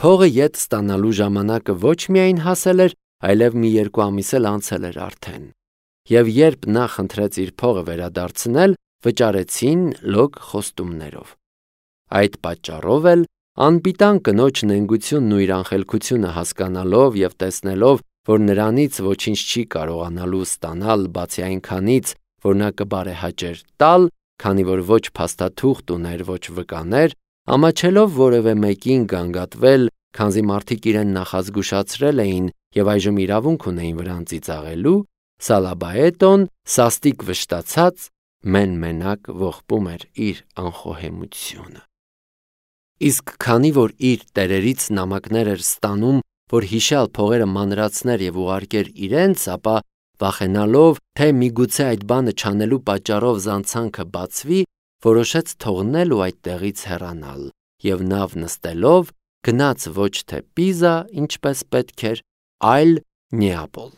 Փողը ետ ստանալու ժամանակը ոչ միայն հասել էր, այլև մի 2 ամիս էլ անցել էր արդեն։ Եվ երբ նա խնդրեց իր փողը վերադարձնել, վճարեցին լոկ խոստումներով։ Այդ պատճառով էլ անպիտան կնոջ նենգությունն ու իր անխելքությունը հասկանալով եւ տեսնելով, որ նրանից ոչինչ չի կարողանալու ստանալ բացի այնքանից, որ նա կբարեհաճեր տալ, քանի որ ոչ փաստաթուղթ ուներ, ոչ վկաներ, ամաչելով որևէ մեկին գանգատվել, քանզի մարդիկ իրեն նախազգուշացրել էին եւ այժմ իրավունք ունեին վրան ծիծաղելու, Սալաբաետոն սաստիկ վշտացած մեն-մենակ ողբում էր իր անխոհեմությունը։ Իսկ քանի որ իր տերերից նամակներ էր ստանում, որ հիշյալ փողերը մանրացներ եւ ուղարկեր իրենց, ապա վախենալով, թե միգուցե այդ բանը չանելու պատճառով զանցանքը բացվի, որոշեց թողնել ու այդտեղից հեռանալ եւ նավ նստելով գնաց ոչ թե Պիզա, ինչպես պետք էր, այլ Նեապոլ։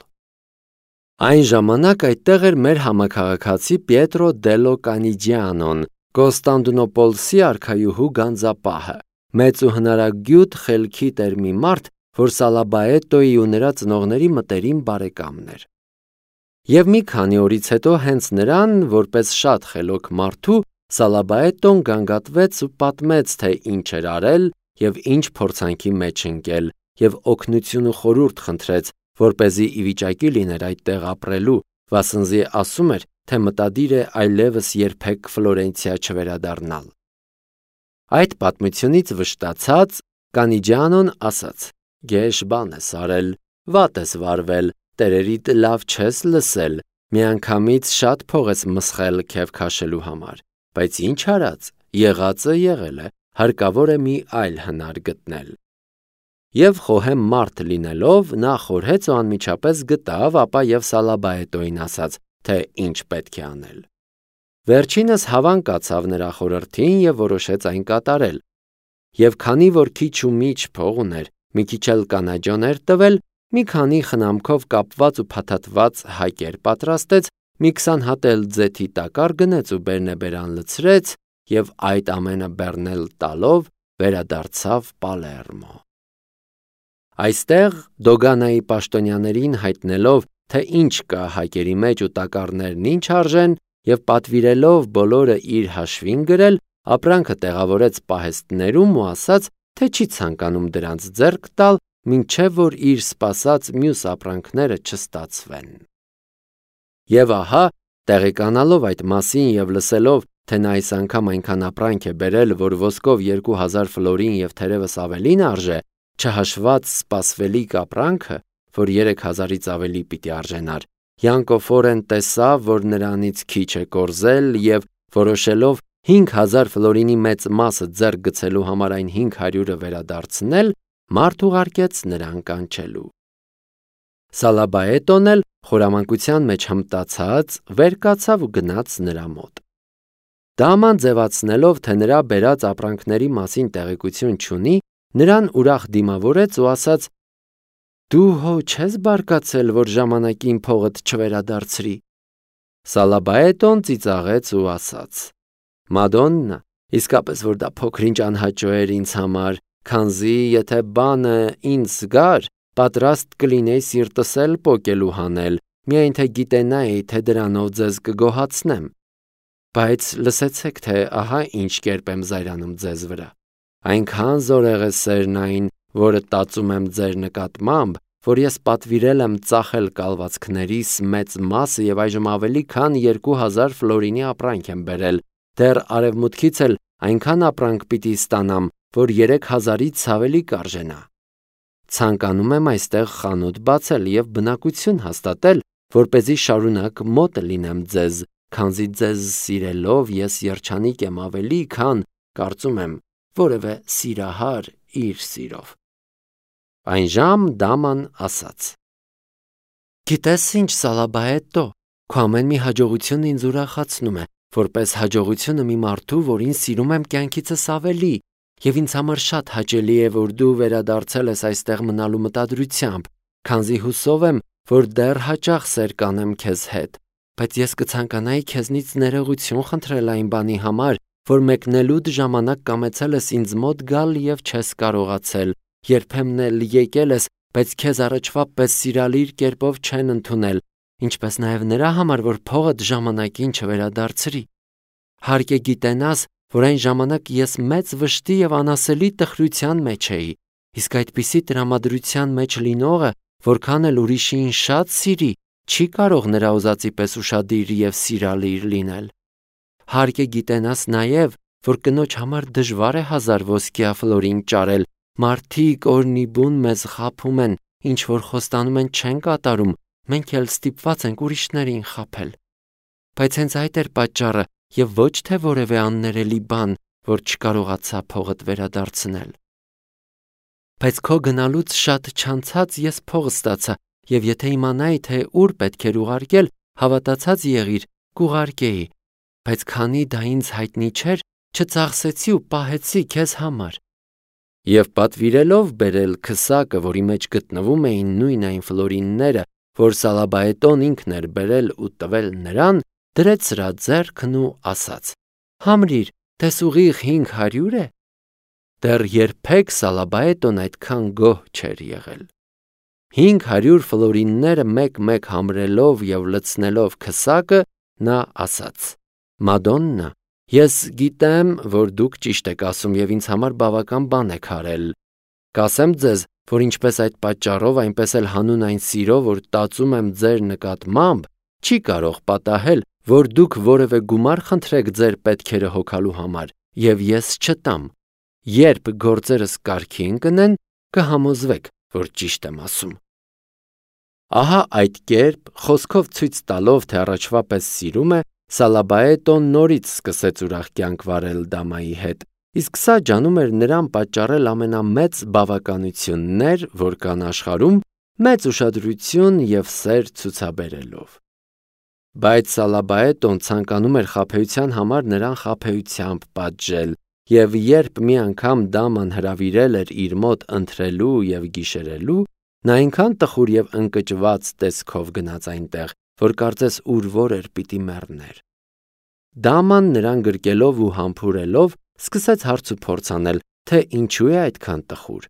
Այն ժամանակ այդտեղ էր մեր համաքաղաքացի Պիետրո Դելո Կանիջիանոն, Կոստանդնուպոլսի արքայուհու գանձապահը, մեծ ու հնարագյուտ խելքի տեր մի մարդ, որ Սալաբաետոյի ու նրա ծնողների մտերիմ բարեկամն էր։ Եվ մի քանի օրից հետո հենց նրան, որպես շատ խելոք մարդու, Սալաբաետոն գանգատվեց ու պատմեց, թե ինչ էր արել եւ ինչ փորձանքի մեջ ընկել, եւ օգնություն ու խորհուրդ խնդրեց, որպեսզի ի վիճակի լիներ այդտեղ ապրելու, վասնզի ասում էր, թե մտադիր է այլևս երբեք Ֆլորենցիա չվերադառնալ։ Այդ պատմությունից վշտացած Կանիջանոն ասաց. «Գեշ բան ես արել, վատ ես վարվել, տերերիդ լավ չես լսել, միանգամից շատ փող ես մսխել քեվ քաշելու համար, բայց ինչ արած, եղածը եղել է, հարկավոր է մի այլ հնար գտնել»։ Եվ խոհեմ մարդ լինելով, նա խորհեց ու անմիջապես գտավ, ապա եւ Սալաբաետոյին ասաց, թե ինչ պետք է անել։ Վերջինս հավան կացավ նրա խորհրդին եւ որոշեց այն կատարել։ Եվ քանի որ քիչ ու միջ փող ուներ, մի քիչ էլ կանաջոն էր տվել, մի քանի խնամքով կապված ու փաթաթված հայկեր պատրաստեց, մի 20 հատ էլ ձեթի տակար գնեց ու բերնեբերան լցրեց եւ այդ ամենը բեռնել տալով վերադարձավ Պալերմո։ Այստեղ Դոգանայի պաշտոնյաներին հայտնելով, թե ինչ կա հայկերի մեջ ու տակառներն ինչ արժեն, եւ պատվիրելով բոլորը իր հաշվին գրել, ապրանքը տեղավորեց պահեստներում ու ասաց, թե չի ցանկանում դրանց ձեռք տալ, մինչև որ իր սպասած մյուս ապրանքները չստացվեն։ Եվ ահա, տեղեկանալով այդ մասին եւ լսելով, թե նա այս անգամ այնքան ապրանք է բերել, որ ոսկով 2000 ֆլորին եւ թերևս ավելին արժե, չհաշված սպասվելիք ապրանքը, որ 3000-ից ավելի պիտի արժենար, Յանկոֆորեն տեսավ, որ նրանից քիչ է կորզել եւ որոշելով 5000 ֆլորինի մեծ մասը ձեռք գցելու համար այն 500-ը վերադարձնել, մարդ ուղարկեց նրան կանչելու։ Սալաբաետոն էլ խորամանկության մեջ հմտացած վեր կացավ ու գնաց նրա մոտ։ Դաման ձևացնելով, թե նրա բերած ապրանքների մասին տեղեկություն չունի, նրան ուրախ դիմավորեց ու ասաց. «Դու հո չես բարկացել, որ ժամանակին փողդ չվերադարձրի»։ Սալաբաետոն ծիծաղեց ու ասաց. «Մադոննա, իսկապես որ դա փոքրինչ անհաճո էր ինձ համար, քանզի եթե բանը ինձ գար, պատրաստ կլինեի սիրտս էլ պոկելու հանել, միայն թե գիտենայի, թե դրանով ձեզ կգոհացնեմ։ Բայց լսեցեք, թե ահա ինչ կերպ եմ զայրանում ձեզ վրա։ Այնքան զորեղ է սերն այն, որը տածում եմ ձեր նկատմամբ, որ ես պատվիրել եմ ծախել կալվածքներիս մեծ մասը եւ այժմ ավելի քան 2000 ֆլորինի ապրանք եմ բերել, դեռ արևմուտքից էլ այնքան ապրանք պիտի ստանամ, որ 3000-ից ավելի կարժենա։ Ցանկանում եմ այստեղ խանութ բացել եւ բնակություն հաստատել, որպեսզի շարունակ մոտ լինեմ ձեզ, քանզի ձեզ սիրելով ես երջանիկ եմ ավելի, քան կարծում եմ որևէ սիրահար իր սիրով։ Այնժամ դաման ասաց. Գիտես ինչ, Սալաբաետո, քո ամեն մի հաջողությունը ինձ ուրախացնում է, որպես հաջողությունը մի մարդու, որին սիրում եմ կյանքիցս ավելի, եւ ինձ համար շատ հաճելի է, որ դու վերադարձել ես այստեղ մնալու մտադրությամբ, քանզի հուսով եմ, որ դեռ հաճախ սեր կանեմ քեզ հետ, բայց ես կցանկանայի քեզնից ներողություն խնդրել այն բանի համար, որ մեկնելուդ ժամանակ կամեցել ես ինձ մոտ գալ եւ չես կարողացել, երբեմն էլ եկել ես, բայց քեզ առաջվա պես սիրալիր կերպով չեն ընդունել, ինչպես նաև նրա համար, որ փողդ ժամանակին չվերադարձրի։ Հարկ է գիտենաս, որ այն ժամանակ ես մեծ վշտի և անասելի տխրության մեջ էի, իսկ այդպիսի տրամադրության մեջ լինողը, որքան էլ ուրիշին շատ սիրի, չի կարող նրա ուզածի պես ուշադիր և սիրալիր լինել։ Հարկ է գիտենաս նաև, որ կնոջ համար դժվար է 1000 ոսկյա ֆլորին ճարել, մարդիկ օրնիբուն մեզ խաբում են, ինչ որ խոստանում են չեն կատարում, մենք էլ ստիպված ենք ուրիշներին խաբել։ Բայց հենց այդ էր պատճառը և ոչ թե որևէ աններելի բան, որ չկարողացա փողդ վերադարձնել։ Բայց քո գնալուց շատ չանցած ես փող ստացա, և եթե իմանայի, թե ուր պետք էր ուղարկել, հավատացած եղիր, կուղարկեի, բայց քանի դա ինձ հայտնի չէր, չծախսեցի ու պահեցի քեզ համար։ Եվ պատվիրելով բերել քսակը, որի մեջ գտնվում էին նույն այն ֆլորինները, որ Սալաբայետոն ինքն էր բերել ու տվել նրան, դրեց սրա ձեռքն ու ասաց. «Համրիր, տես ուղիղ 500 է»։ Դեռ երբեք Սալաբայետոն այդքան գոհ չէր եղել։ 500 ֆլորինները մեկ-մեկ համրելով և լցնելով քսակը, նա ասաց. «Մադոննա, ես գիտեմ, որ դուք ճիշտ եք ասում և ինձ համար բավական բան եք արել։ Կասեմ ձեզ, որ ինչպես այդ պատճառով, այնպես էլ հանուն այն սիրո, որ տածում եմ ձեր նկատմամբ, չի կարող պատահել, որ դուք որևէ գումար խնդրեք ձեր պետքերը հոգալու համար, և ես չտամ։ Երբ գործերս կարգի ընկնեն, կհամոզվեք, որ ճիշտ եմ ասում»։ Ահա այդ կերպ, խոսքով ցույց տալով, թե առաջվա պես սիրում է, Սալաբայետոն նորից սկսեց ուրախ կյանք վարել դամայի հետ, իսկ սա ջանում էր նրան պատճառել ամենամեծ բավականություններ, որ կան աշխարհում, մեծ ուշադրություն և սեր ցուցաբերելով։ Բայց Սալաբայետոն ցանկանում էր խաբեության համար նրան խաբեությամբ պատժել, և երբ մի անգամ դաման հրավիրել էր իր մոտ ընթրելու և գիշերելու, նա այնքան տխուր և ընկճված տեսքով գնաց այնտեղ, որ կարծես ուր-որ էր պիտի մեռներ։ Դաման նրան գրկելով ու համբուրելով, սկսեց հարց ու փորձ անել, թե ինչու է այդքան տխուր։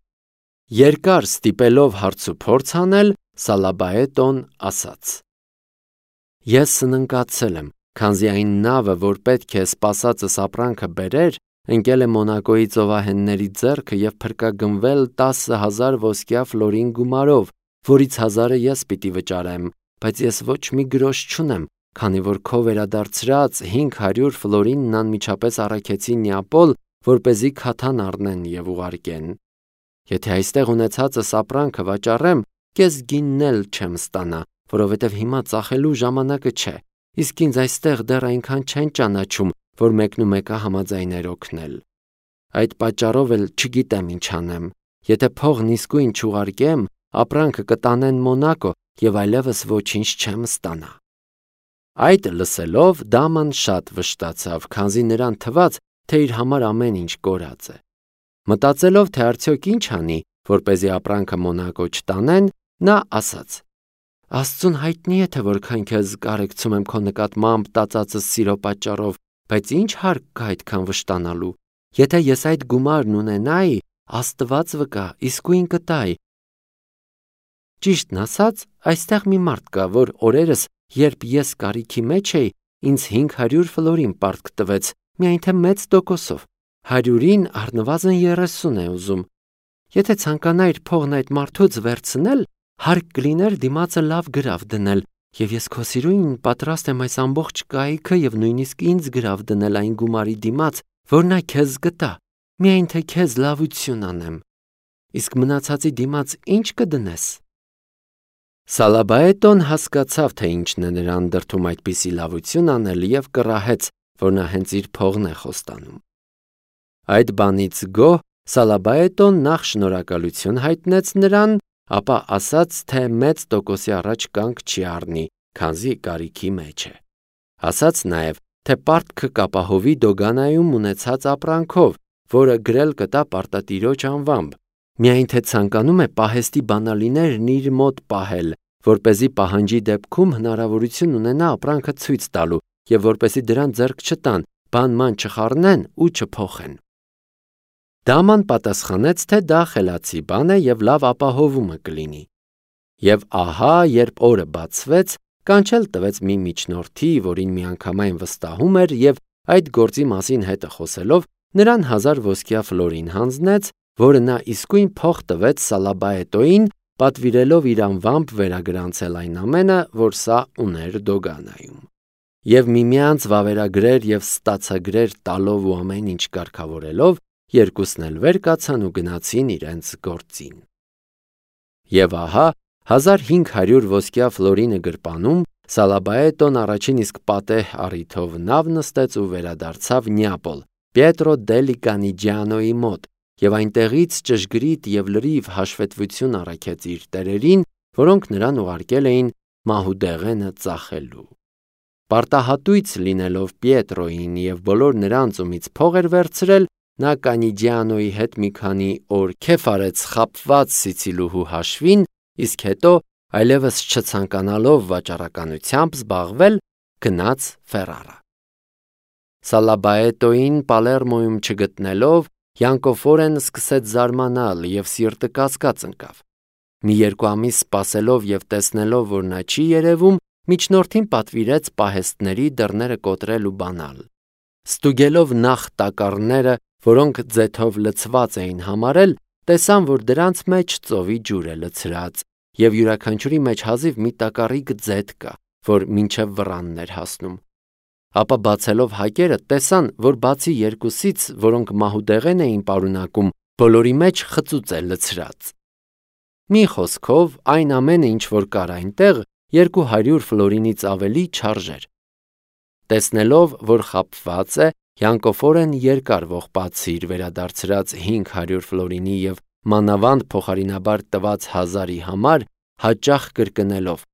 Երկար ստիպելով հարց ու փորձ անել, Սալաբայետոն ասաց. «Ես սննկացել եմ, քանզի այն նավը, որ պետք է սպասածս ապրանքը բերեր, ընկել է Մոնակոյի ծովահենների ձեռքը և փրկագնվել 10,000 ոսկյա ֆլորին գումարով, որից 1000-ը ես պիտի վճարեմ, բայց ես ոչ մի գրոշ չունեմ, քանի որ քո վերադարձրած 500 ֆլորինն անմիջապես առաքեցի Նեապոլ, որպեսզի քաթան առնեն և ուղարկեն։ Եթե այստեղ ունեցածս ապրանքը վաճառեմ, կես գինն էլ չեմ ստանա, որովհետև հիմա ծախելու ժամանակը չէ, իսկ ինձ այստեղ դեռ այնքան չեն ճանաչում, որ մեկնումեկը համաձայներ օգնել։ Այդ պատճառով էլ չգիտեմ ինչ անեմ։ Եթե փողն իսկույն չուղարկեմ, ապրանքը կտանեն Մոնակո և այլևս ոչինչ չեմ ստանա»։ Այդ լսելով դաման շատ վշտացավ, քանզի նրան թվաց, թե իր համար ամեն ինչ կորած է։ Մտածելով, թե արդյոք ինչ անի, որպեսզի ապրանքը Մոնակո չտանեն, նա ասաց. «Աստծուն հայտնի է, թե որքան քեզ կարեկցում եմ քո նկատմամբ տածածս սիրո պատճառով, բայց ինչ հարկ կա այդքան վշտանալու։ Եթե ես այդ գումարն ունենայի, Աստված վկա, իսկույն կտայի։ Ճիշտն ասած, այստեղ մի մարդ կա, որ օրերս, երբ ես կարիքի մեջ էի, ինձ 500 ֆլորին պարտք տվեց, միայն թե մեծ տոկոսով, 100-ին առնվազն 30 է ուզում։ Եթե ցանկանայիր փողն այդ մարդուց վերցնել, հարկ կլիներ դիմացը լավ գրավ դնել, և ես քո սիրուին պատրաստ եմ այս ամբողջ կայքը և նույնիսկ ինձ գրավ դնել այն գումարի դիմաց, որ նա քեզ կտա, միայն թե քեզ լավություն անեմ։ Իսկ մնացածի դիմաց ինչ կդնես»։ Սալաբայետոն հասկացավ, թե ինչն է նրան դրդում այդպիսի լավություն անել և կռահեց, որ նա հենց իր փողն է խոստանում։ Այդ բանից գոհ Սալաբայետոն նախ շնորհակալություն հայտնեց նրան, ապա ասաց, թե մեծ տոկոսի առաջ կանգ չի առնի, քանզի կարիքի մեջ է։ Ասաց նաև, թե պարտքը կապահովի Դոգանայում ունեցած ապրանքով, որը գրել կտա պարտատիրոջ անվամբ, միայն թե ցանկանում է պահեստի բանալիներն իր մոտ պահել, որպեսզի պահանջի դեպքում հնարավորություն ունենա ապրանքը ցույց տալու և որպեսզի դրան ձեռք չտան, բան-ման չխառնեն ու չփոխեն։ Դաման պատասխանեց, թե դա խելացի բան է և լավ ապահովումը կլինի։ Եվ ահա, երբ օրը բացվեց, կանչել տվեց մի միջնորդի, որին միանգամայն վստահում էր, և այդ գործի մասին հետը խոսելով, նրան 1000 ոսկյա ֆլորին հանձնեց, որը նա իսկույն փող տվեց Սալաբայետոյին, պատվիրելով իր անվամբ վերագրանցել այն ամենը, որ սա ուներ Դոգանայում։ Եվ միմյանց վավերագրեր և ստացագրեր տալով ու ամեն ինչ կարգավորելով, երկուսն էլ վեր կացան ու գնացին իրենց գործին։ Եվ ահա, 1500 ոսկյա ֆլորինը գրպանում, Սալաբայետոն առաջին իսկ պատեհ առիթով նավ նստեց ու վերադարձավ Նեապոլ, Պիետրո դելի Կանիջիանոյի մոտ, և այնտեղից ճշգրիտ և լրիվ հաշվետվություն առաքեց իր տերերին, որոնք նրան ուղարկել էին մահուդեղենը ծախելու։ Պարտահատույց լինելով Պիետրոյին և բոլոր նրանց, ումից փող էր վերցրել, նա Կանիջիանոյի հետ մի քանի օր քեֆ արեց խաբված սիցիլուհու հաշվին, իսկ հետո, այլևս չցանկանալով վաճառականությամբ զբաղվել, գնաց Ֆերարա։ Սալաբայետոյին Պալերմոյում չգտնելով, Յանկոֆորեն սկսեց զարմանալ և սիրտը կասկած ընկավ։ Մի 2 ամիս սպասելով և տեսնելով, որ նա չի երևում, միջնորդին պատվիրեց պահեստների դռները կոտրել ու բանալ։ Ստուգելով նախ տակառները, որոնք ձեթով լցված էին համարել, տեսան, որ դրանց մեջ ծովի ջուր է լցրած, և յուրաքանչյուրի մեջ հազիվ մի տակառիկ ձեթ կա, որ մինչև վրանն էր հասնում։ Ապա բացելով հակերը, տեսան, որ բացի 2-ից, որոնք մահուդեղեն էին պարունակում, բոլորի մեջ խծուծ է լցրած։ Մի խոսքով, այն ամենը, ինչ որ կար այնտեղ, 200 ֆլորինից ավելի չարժեր։ Տեսնելով, որ խաբված է, Յանկոֆորեն երկար ողբաց իր վերադարձրած 500 ֆլորինի և մանավանդ փոխարինաբար տված 1000-ի համար, հաճախ կրկնելով.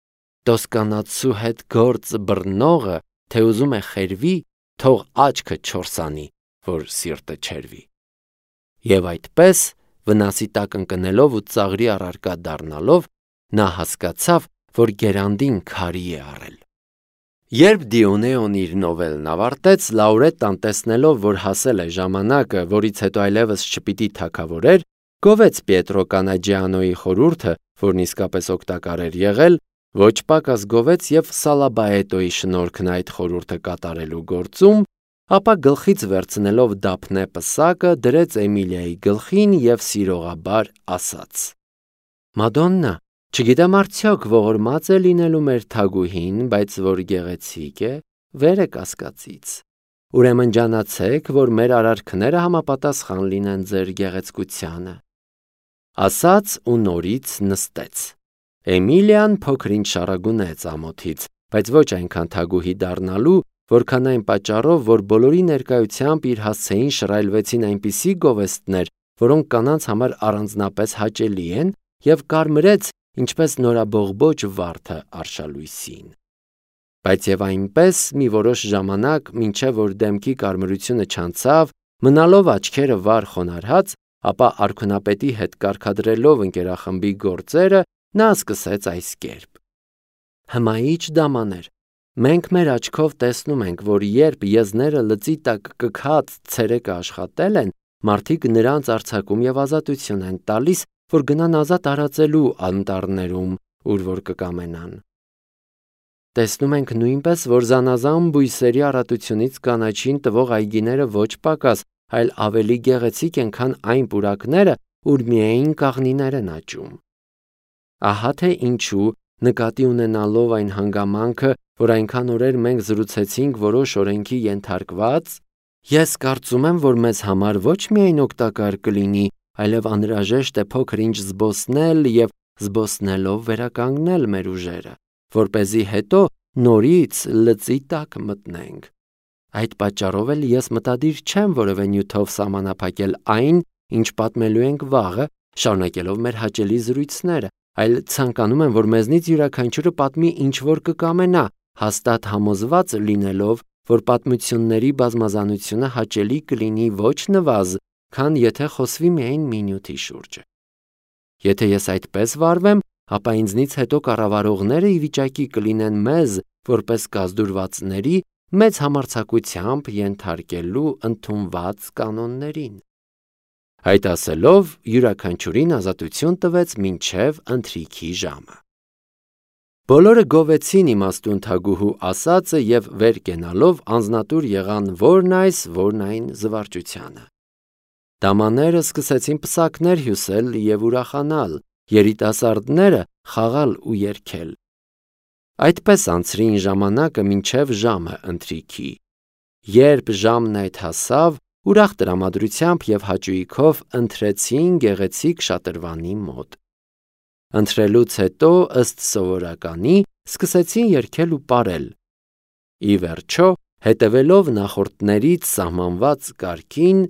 «Տոսկանացու հետ գործ բռնողը, թե ուզում է խերվի, թող աչքը չորսանի, որ սիրտը չերվի»։ Եվ այդպես, վնասի տակ ընկնելով ու ծաղրի առարկա դառնալով, նա հասկացավ, որ գերանդին քարի է առել։ Երբ Դիոնեոն իր նովելն ավարտեց, Լաուրետտան տեսնելով, որ հասել է ժամանակը, որից հետո այլևս չպիտի թագավորեր, գովեց Պիետրո Կանաջիանոյի խորհուրդը, որն իսկապես օգտակար էր եղել, ոչ պակաս գովեց և Սալաբայետոյի շնորհքն այդ խորհուրդը կատարելու գործում, ապա գլխից վերցնելով դափնե պսակը, դրեց Էմիլիայի գլխին և սիրողաբար ասաց. «Մադոննա, չգիտեմ արդյոք ողորմած է լինելու մեր թագուհին, բայց որ գեղեցիկ է, վեր է կասկածից։ Ուրեմն ջանացեք, որ մեր արարքները համապատասխան լինեն ձեր գեղեցկությանը»։ Ասաց ու նորից նստեց։ Էմիլիան փոքր-ինչ շառագունեց ամոթից, բայց ոչ այնքան թագուհի դառնալու, որքան այն պատճառով, որ բոլորի ներկայությամբ իր հասցեին շռայլվեցին այնպիսի գովեստներ, որոնք կանանց համար առանձնապես հաճելի են, և կարմրեց, ինչպես նորաբողբոջ վարդը արշալույսին։ Բայց և այնպես մի որոշ ժամանակ, մինչև որ դեմքի կարմրությունը չանցավ, մնալով աչքերը վար խոնարհած, ապա արքունապետի հետ կարգադրելով ընկերախմբի գործերը, նա սկսեց այս կերպ. «Հմայիչ դամաներ, մենք մեր աչքով տեսնում ենք, որ երբ եզները լծի տակ կքած ցերեկը աշխատել են, մարդիկ նրանց արձակում և ազատություն են տալիս, որ գնան ազատ արածելու անտառներում, ուր որ կկամենան։ Տեսնում ենք նույնպես, որ զանազան բույսերի առատությունից կանաչին տվող այգիները ոչ պակաս, այլ ավելի գեղեցիկ են, քան այն պուրակները, ուր միայն կաղնիներ են աճում։ Ահա թե ինչու, նկատի ունենալով այն հանգամանքը, որ այնքան օրեր մենք զրուցեցինք որոշ օրենքի ենթարկված, ես կարծում եմ, որ մեզ համար ոչ միայն օգտակար կլինի, այլև անհրաժեշտ է փոքր-ինչ զբոսնել և զբոսնելով վերականգնել մեր ուժերը, որպեսզի հետո նորից լծի տակ մտնենք։ Այդ պատճառով էլ ես մտադիր չեմ որևէ նյութով սահմանափակել այն, ինչ պատմելու ենք վաղը, շարունակելով մեր հաճելի զրույցները, այլ ցանկանում եմ, որ մեզնից յուրաքանչյուրը պատմի ինչ որ կկամենա, հաստատ համոզված լինելով, որ պատմությունների բազմազանությունը հաճելի կլինի ոչ նվազ, քան եթե խոսվի միայն մի նյութի շուրջը։ Եթե ես այդպես վարվեմ, ապա ինձնից հետո կառավարողները ի վիճակի կլինեն մեզ, որպես կազդուրվածների, մեծ համարձակությամբ ենթարկելու ընդունված կանոններին։ Այդ ասելով յուրաքանչյուրին ազատություն տվեց մինչև ընթրիքի ժամը։ Բոլորը գովեցին իմաստուն թագուհու ասածը և վեր կենալով անձնատուր եղան որն այս, որն այն զվարճությանը։ Դամաները սկսեցին պսակներ հյուսել և ուրախանալ, երիտասարդները խաղալ ու երգել։ Այդպես անցրին ժամանակը մինչև ժամը ընթրիքի։ Երբ ժամն այդ հասավ, ուրախ տրամադրությամբ և հաճույքով ընթրեցին գեղեցիկ շատրվանի մոտ։ Ընթրելուց հետո, ըստ սովորականի, սկսեցին երգել ու պարել։ Ի վերջո, հետևելով նախորդներից սահմանված կարգին,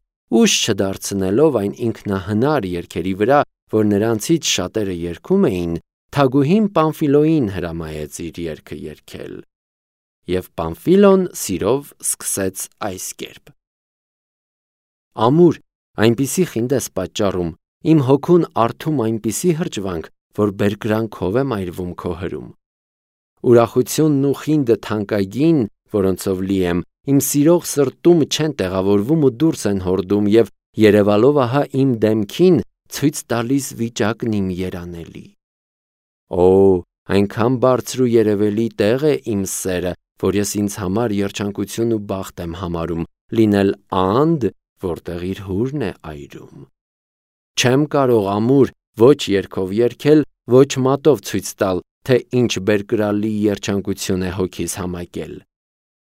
ուշ չդարձնելով այն ինքնահնար երգերի վրա, որ նրանցից շատերը երգում էին, թագուհին Պամֆիլոյին հրամայեց իր երգը երգել։ Եվ Պամֆիլոն սիրով սկսեց այս կերպ. Ամուր, այնպիսի խինդ ես պատճառում, իմ հոգուն արթում այնպիսի հրճվանք, որ բերկրանքով եմ այրվում քո հրում։ Ուրախությունն ու խինդը թանկագին, որոնցով լի եմ, իմ սիրող սրտում չեն տեղավորվում ու դուրս են հորդում և երևալով ահա իմ դեմքին ցույց տալիս վիճակն իմ երանելի։ Օ, այնքան բարձր ու երևելի տեղ է իմ սերը, որ ես ինձ համար երջանկություն ու բախտ եմ համարում, լինել անդ, որտեղ իր հուրն է այրում։ Չեմ կարող ամուր ոչ երգով երգել, ոչ մատով ցույց տալ, թե ինչ բերկրալի երջանկություն է հոգիս համակել։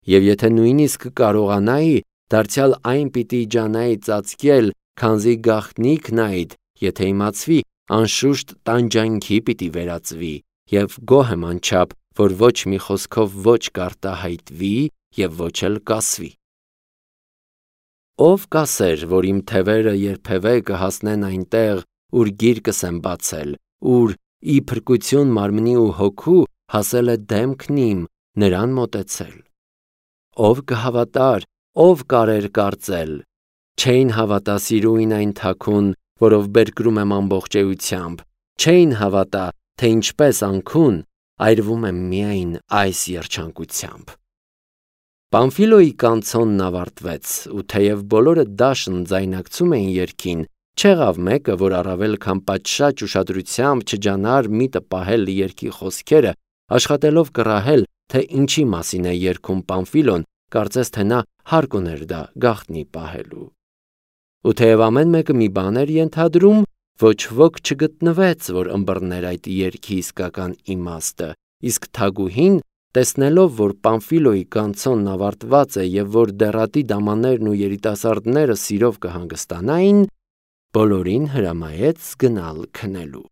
Եվ եթե նույնիսկ կարողանայի, դարձյալ այն պիտի ջանայի ծածկել, քանզի գաղտնիքն այդ, եթե իմացվի, անշուշտ տանջանքի պիտի վերածվի, և գոհ եմ անչափ, որ ոչ մի խոսքով ոչ կարտահայտվի և ոչ էլ կասվի։ Ով կասեր, որ իմ թևերը երբևէ կհասնեն այնտեղ, ուր գիրկս եմ բացել, ուր ի փրկություն մարմնի ու հոգու հասել է դեմքն իմ, նրան մոտեցել։ Ով կհավատար, ով կարեր կարծել, չէին հավատա սիրուին այն թաքուն, որով բերկրում եմ ամբողջությամբ, չէին հավատա, թե ինչպես անքուն այրվում եմ միայն այս երջանկությամբ։ Պամֆիլոյի կանցոնն ավարտվեց, ու թեև բոլորը դաշն ձայնակցում էին երգին, չեղավ մեկը, որ առավել քան պատշաճ ուշադրությամբ չջանար միտը պահել երգի խոսքերը, աշխատելով կռահել, թե ինչի մասին է երգում Պամֆիլոն, կարծես թե նա հարկ ուներ դա գաղտնի պահելու։ Ու թեև ամեն մեկը մի բան էր ենթադրում, ոչ ոք չգտնվեց, որ ըմբռներ այդ երգի իսկական իմաստը, իսկ թագուհին, տեսնելով, որ Պամֆիլոյի կանցոնն ավարտված է և որ դեռատի դամաններն ու երիտասարդները սիրով կհանգստանային, բոլորին հրամայեց գնալ քնելու։